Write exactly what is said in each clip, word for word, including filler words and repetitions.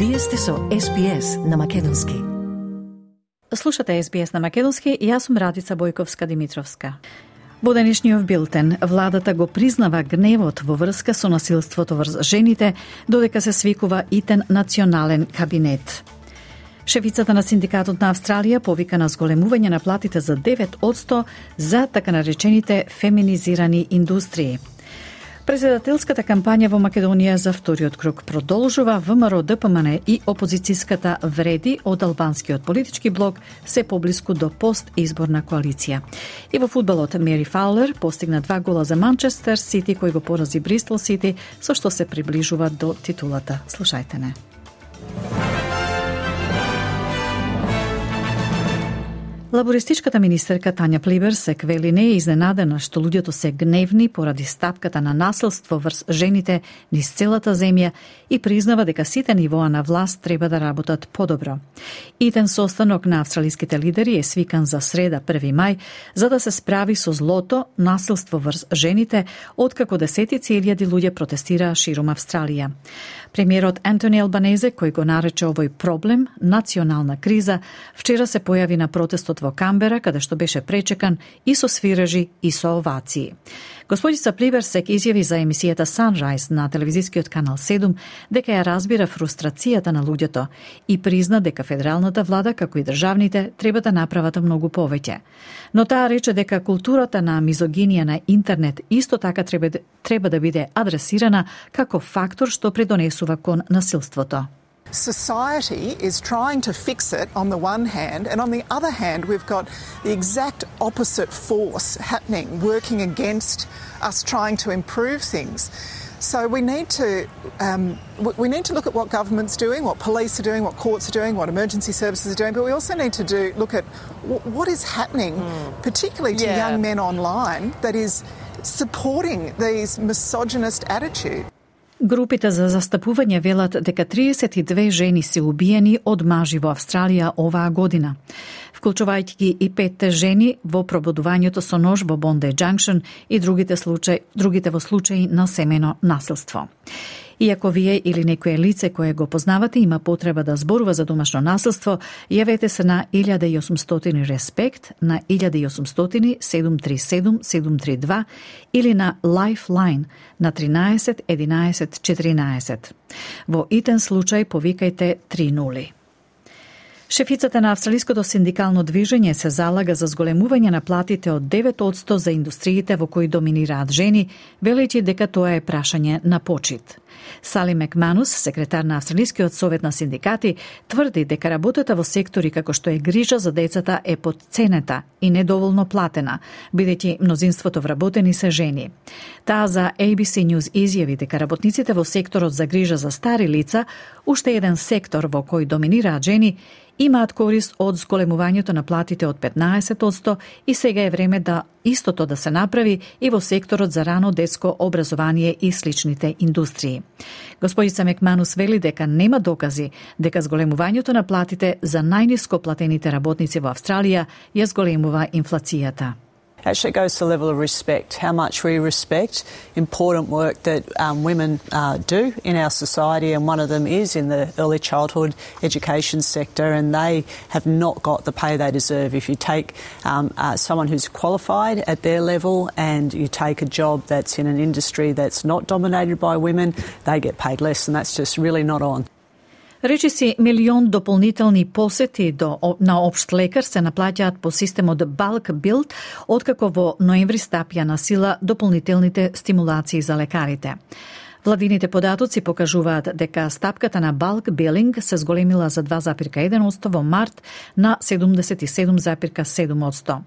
Вие сте со Ес Би Ес на македонски. Слушате Ес Би Ес на македонски и јас сум Радица Бојковска-Димитровска. Во денешниот билтен, владата го признава гневот во врска со насилството врз жените, додека се свикува итен национален кабинет. Шефицата на Синдикатот на Австралија повика на зголемување на платите за девет одсто за така наречените феминизирани индустрии. Председателската кампања во Македонија за вториот круг продолжува. ВМРО, Д П М Н и опозицијската вреди од албанскиот политички блок се поблиску до постизборна коалиција. И во фудбалот Мери Фаулер постигна два гола за Манчестер Сити, кој го порази Бристол Сити, со што се приближува до титулата. Слушајте не. Лабористичката министерка Тања Плиберсек вели не е изненадена што луѓето се гневни поради стапката на насилство врз жените низ целата земја и признава дека сите нивоа на власт треба да работат подобро. Итен состанок на австралиските лидери е свикан за среда први мај за да се справи со злото насилство врз жените, откако десетици илјади луѓе протестираа ширум Австралија. Премиерот Антони Албанезе, кој го нарече овој проблем национална криза, вчера се појави на протестот во Камбера, каде што беше пречекан и со свирежи и со овации. Господица Плиберсек изјави за емисијата Sunrise на телевизискиот канал седум дека ја разбира фрустрацијата на луѓето и призна дека федералната влада, како и државните, треба да направат многу повеќе. Но таа рече дека културата на мизогинија на интернет исто така треба, треба да биде адресирана како фактор што придонесува кон насилството. Society is trying to fix it on the one hand, and on the other hand we've got the exact opposite force happening, working against us trying to improve things. So we need to um, we need to look at what government's doing, what police are doing, what courts are doing, what emergency services are doing, but we also need to do look at w- what is happening, mm. particularly to yeah. young men online, that is supporting these misogynist attitudes. Групите за застапување велат дека триесет и две жени се убиени од мажи во Австралија оваа година, вклучувајќи ги и петте жени во пробудувањето со нож во Bondi Junction и другите случаи, другите во случаи на семено насилство. Иако вие или некое лице кое го познавате има потреба да зборува за домашно насилство, јавете се на илјада и осумстотини респект, на илјада и осумстотини седум три седум седум три два или на Lifeline на тринаесет единаесет четиринаесет. Во итен случај повикајте три нули. Шефицата на Австралиското синдикално движење се залага за зголемување на платите од девет одсто за индустриите во кои доминираат жени, велејќи дека тоа е прашање на почит. Сали Макманус, секретар на Австралискиот совет на синдикати, тврди дека работата во сектори како што е грижа за децата е потценета и недоволно платена, бидејќи мнозинството вработени се жени. Таа за А Б С News изјави дека работниците во секторот за грижа за стари лица, уште еден сектор во кој доминираат жени, имаат корист од зголемувањето на платите од петнаесет одсто и сега е време да истото да се направи и во секторот за рано детско образование и сличните индустрии. Господица Макманус вели дека нема докази дека зголемувањето на платите за најниско платените работници во Австралија ја зголемува инфлацијата. Actually goes to the level of respect, how much we respect important work that um, women uh, do in our society, and one of them is in the early childhood education sector, and they have not got the pay they deserve. If you take um, uh, someone who's qualified at their level and you take a job that's in an industry that's not dominated by women, they get paid less, and that's just really not on. Речиси милион дополнителни посети до, на општ лекар се наплаќаат по системот Bulk Bill, откако во ноември стапија на сила дополнителните стимулации за лекарите. Владините податоци покажуваат дека стапката на Bulk Billing се зголемила за два запирка еден одсто во март на седумдесет и седум запирка седум одсто.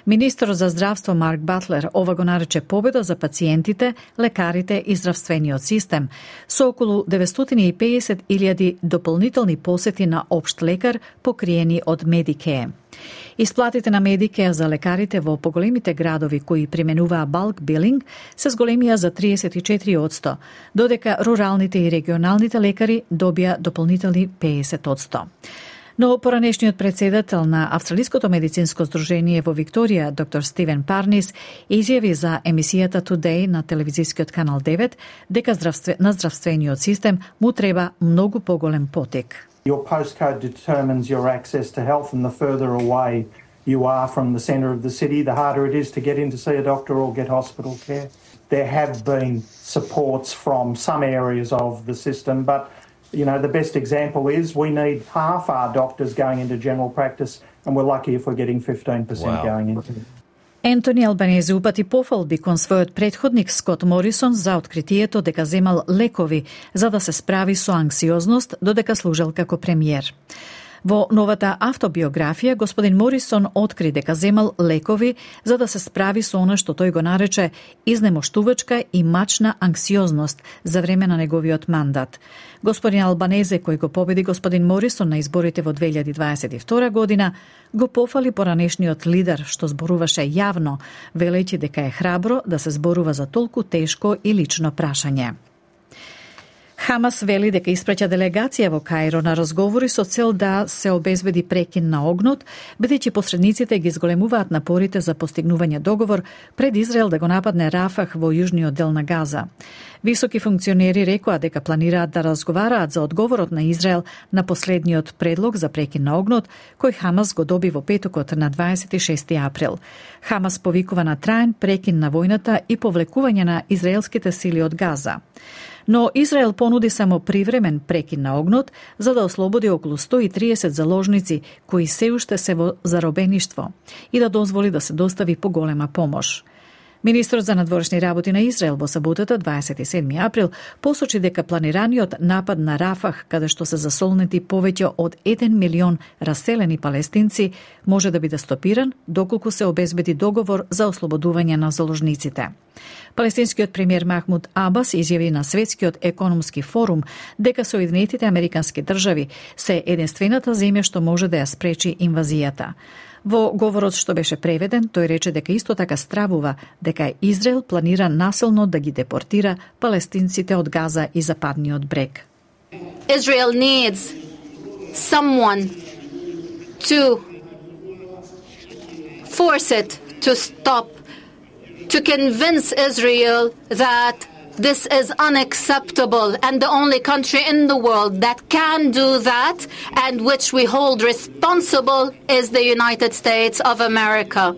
Министерот за здравство Марк Батлер ова го нарече победа за пациентите, лекарите и здравствениот систем, со околу деветстотини и педесет илјади дополнителни посети на општ лекар покриени од Medicare. Исплатите на Medicare за лекарите во поголемите градови кои применуваа Bulk Billing се зголемија за триесет и четири одсто, додека руралните и регионалните лекари добија дополнителни педесет одсто. Но поранешниот председател на Австралиското медицинско здружение во Викторија, доктор Стивен Парнис, изјави за емисијата Today на телевизискиот канал девет дека здравстве, на здравствениот систем му треба многу поголем потек. Your postcode determines your access to health, and the further away you are from the centre of the city, the harder it is to get in to see a doctor or get hospital care. There have been supports from some areas of the system, but you know, the best example is we need half our doctors going into general practice, and we're lucky if we're getting fifteen percent wow. going into it. Ентони Албанези упати пофалби кон својот претходник Скот Морисон за откритието дека земал лекови за да се справи со анксиозност додека служел како премиер. Во новата автобиографија, господин Морисон откри дека земал лекови за да се справи со она што тој го нарече изнемоштувачка и мачна анксиозност за време на неговиот мандат. Господин Албанезе, кој го победи господин Морисон на изборите во две илјади дваесет и втора година, го пофали поранешниот лидер што зборуваше јавно, велејќи дека е храбро да се зборува за толку тешко и лично прашање. Хамас вели дека испраќа делегација во Каиро на разговори со цел да се обезбеди прекин на огнот, бидејќи посредниците ги зголемуваат напорите за постигнување договор пред Израел да го нападне Рафах во јужниот дел на Газа. Високи функционери рекоа дека планираат да разговараат за одговорот на Израел на последниот предлог за прекин на огнот, кој Хамас го доби во петокот на дваесет и шести април. Хамас повикува на траен прекин на војната и повлекување на израелските сили од Газа. Но Израел понуди само привремен прекин на огнот за да ослободи околу сто и триесет заложници кои се уште се во заробеништво и да дозволи да се достави поголема помош. Министрот за надворешни работи на Израел во саботата дваесет и седми април посочи дека планираниот напад на Рафах, каде што се засолнети повеќе од еден милион раселени палестинци, може да биде стопиран доколку се обезбеди договор за ослободување на заложниците. Палестинскиот премиер Махмуд Абас изјави на Светскиот економски форум дека Соединетите американски држави се единствената земја што може да ја спречи инвазијата. Во говорот што беше преведен, тој рече дека исто така стравува дека Израел планира насилно да ги депортира палестинците од Газа и Западниот брег. Israel needs someone to force it to stop, to convince Israel that this is unacceptable, and the only country in the world that can do that and which we hold responsible is the United States of America.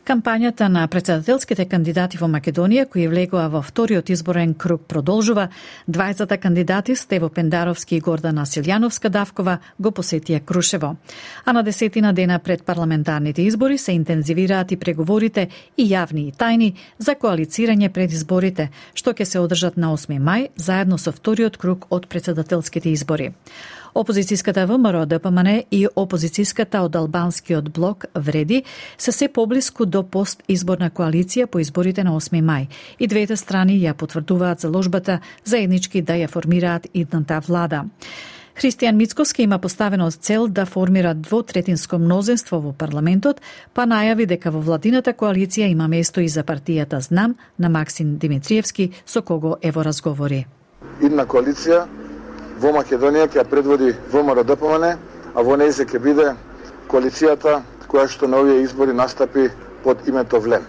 Кампањата на председателските кандидати во Македонија, кои влегоа во вториот изборен круг, продолжува. Двајцата кандидати, Стево Пендаровски и Гордана Силјановска-Давкова, го посетија Крушево. А на десетина дена пред парламентарните избори се интензивираат и преговорите, и јавни и тајни, за коалицирање пред изборите, што ќе се одржат на осми мај, заедно со вториот круг од председателските избори. Опозицијската ВМРО Д П М Н и опозицијската од албанскиот блок Вреди се се поблиску до постизборна коалиција по изборите на осми мај и двете страни ја потврдуваат заложбата заеднички да ја формираат идната влада. Христијан Мицковски има поставено цел да формира двотретинско мнозинство во парламентот, па најави дека во владината коалиција има место и за партијата Знам на Максим Димитриевски, со кого е во разговори. Идна коалиција во Македонија ќе предводи ВМРО Д П М Н, а во нејзе ќе биде коалицијата која што на овие избори настапи под името ВЛЕМ.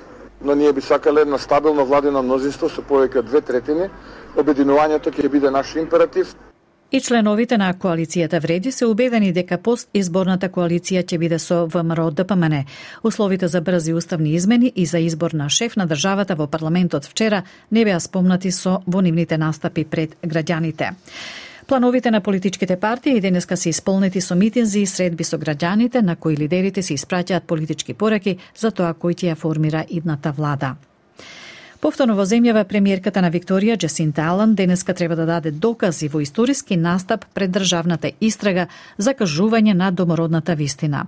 Но ние би сакале едно стабилно владино мнозинство со повеќе од две третини. Обединувањето ќе биде наш императив. И членовите на коалицијата Вреди се убедени дека постизборната коалиција ќе биде со ВМРО Д П М Н. Условите за брзи уставни измени и за избор на шеф на државата во парламентот вчера не беа спомнати со во нивните настапи пред граѓаните. Плановите на политичките партии денеска се исполнети со митинзи и средби со граѓаните, на кои лидерите се испраќаат политички пораки за тоа кој ќе ја формира идната влада. Повторно во земјава премиерката на Викторија Джасинта Алан денеска треба да даде докази во историски настап пред државната истрага за кажување на домородната вистина.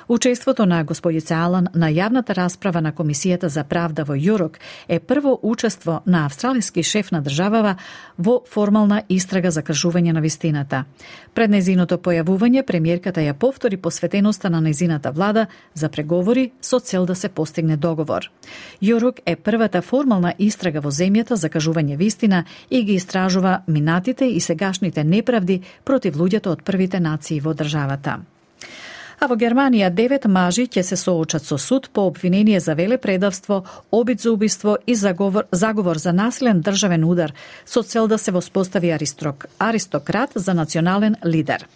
Учеството на господица Алан на јавната расправа на Комисијата за правда во Јурок е прво учество на австралиски шеф на државава во формална истрага за кажување на вистината. Пред незиното појавување премиерката ја повтори посветеноста на незината влада за преговори со цел да се постигне договор. Јурок е првата формална детална истрага во земјата за кажување вистина и ги истражува минатите и сегашните неправди против луѓето од првите нации во државата. А во Германија девет мажи ќе се соочат со суд по обвинение за велепредавство, обид за убиство и заговор, заговор за насилен државен удар со цел да се воспостави аристок, аристократ за национален лидер.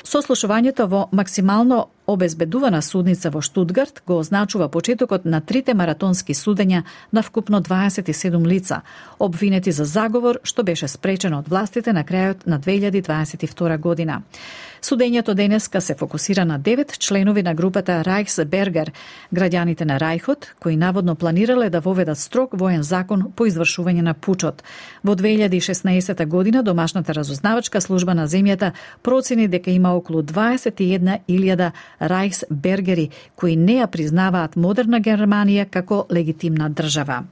Сослушувањето во максимално обезбедувана судница во Штутгарт го означува почетокот на трите маратонски судења на вкупно дваесет и седум лица, обвинети за заговор што беше спречено од властите на крајот на две илјади дваесет и втора година. Судењето денеска се фокусира на девет членови на групата Райхсбергер, граѓаните на Рајхот, кои наводно планирале да воведат строг воен закон по извршување на пучот. Во две илјади и шеснаесета година домашната разузнавачка служба на земјата процени дека има околу дваесет и една илјада Райхсбергери кои не ја признаваат модерна Германија како легитимна држава.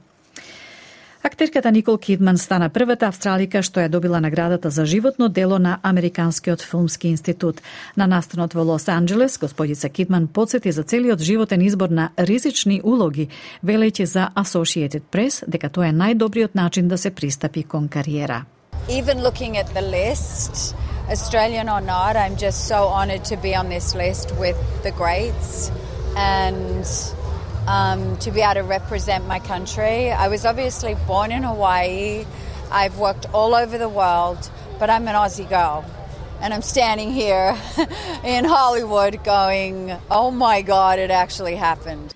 Актерката Никол Кидман стана првата австралика што ја добила наградата за животно дело на Американскиот филмски институт. На настанот во Лос Анџелес, господица Кидман подсети за целиот животен избор на ризични улоги, велејќи за Associated Press дека тоа е најдобриот начин да се пристапи кон кариера. Even looking at the list, Australian or not, I'm just so honoured to be on this list with the greats and um, to be able to represent my country. I was obviously born in Hawaii. I've worked all over the world, but I'm an Aussie girl. And I'm standing here in Hollywood going, oh my God, it actually happened.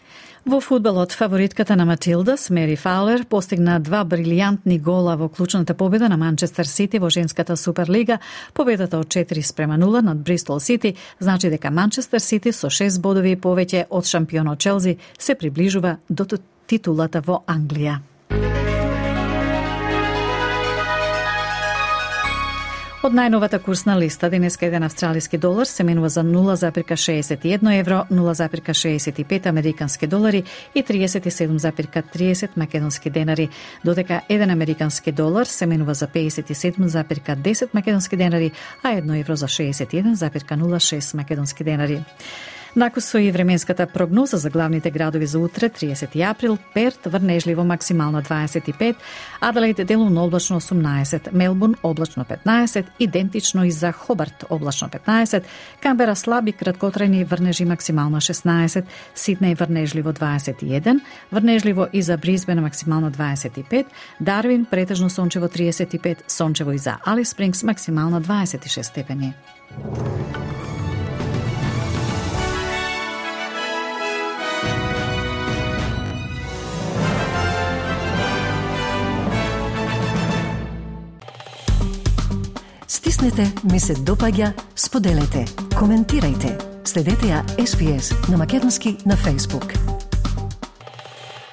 Во фудбалот, фаворитката на Матилдас, Мери Фаулер, постигна два брилијантни гола во клучната победа на Манчестер Сити во женската Суперлига. Победата од четири спрема нула над Бристол Сити значи дека Манчестер Сити со шест бодови повеќе од шампионот Челси се приближува до титулата во Англија. Од најновата курсна листа, денеска еден австралиски долар се менува за нула запирка шеесет и едно евро, нула запирка шеесет и пет американски долари и триесет и седум запирка триесет македонски денари, додека еден американски долар се менува за пеесет и седум запирка десет македонски денари, а едно евро за шеесет и еден запирка нула шест македонски денари. Накусо и временската прогноза за главните градови за утре, триесети април, Перт врнежливо максимално дваесет и пет, Аделаид делумно облачно осумнаесет, Мелбурн облачно петнаесет, идентично и за Хобарт облачно петнаесет, Камбера слаби краткотрајни врнежи максимално шеснаесет, Сиднеј врнежливо дваесет и еден, врнежливо и за Брисбен максимално дваесет и пет, Дарвин претежно сончево триесет и пет, сончево и за Алис Спрингс максимално дваесет и шест степени. Стиснете, ми се допаѓа, споделете, коментирајте. Следете ја Ес Би Ес на македонски на Facebook.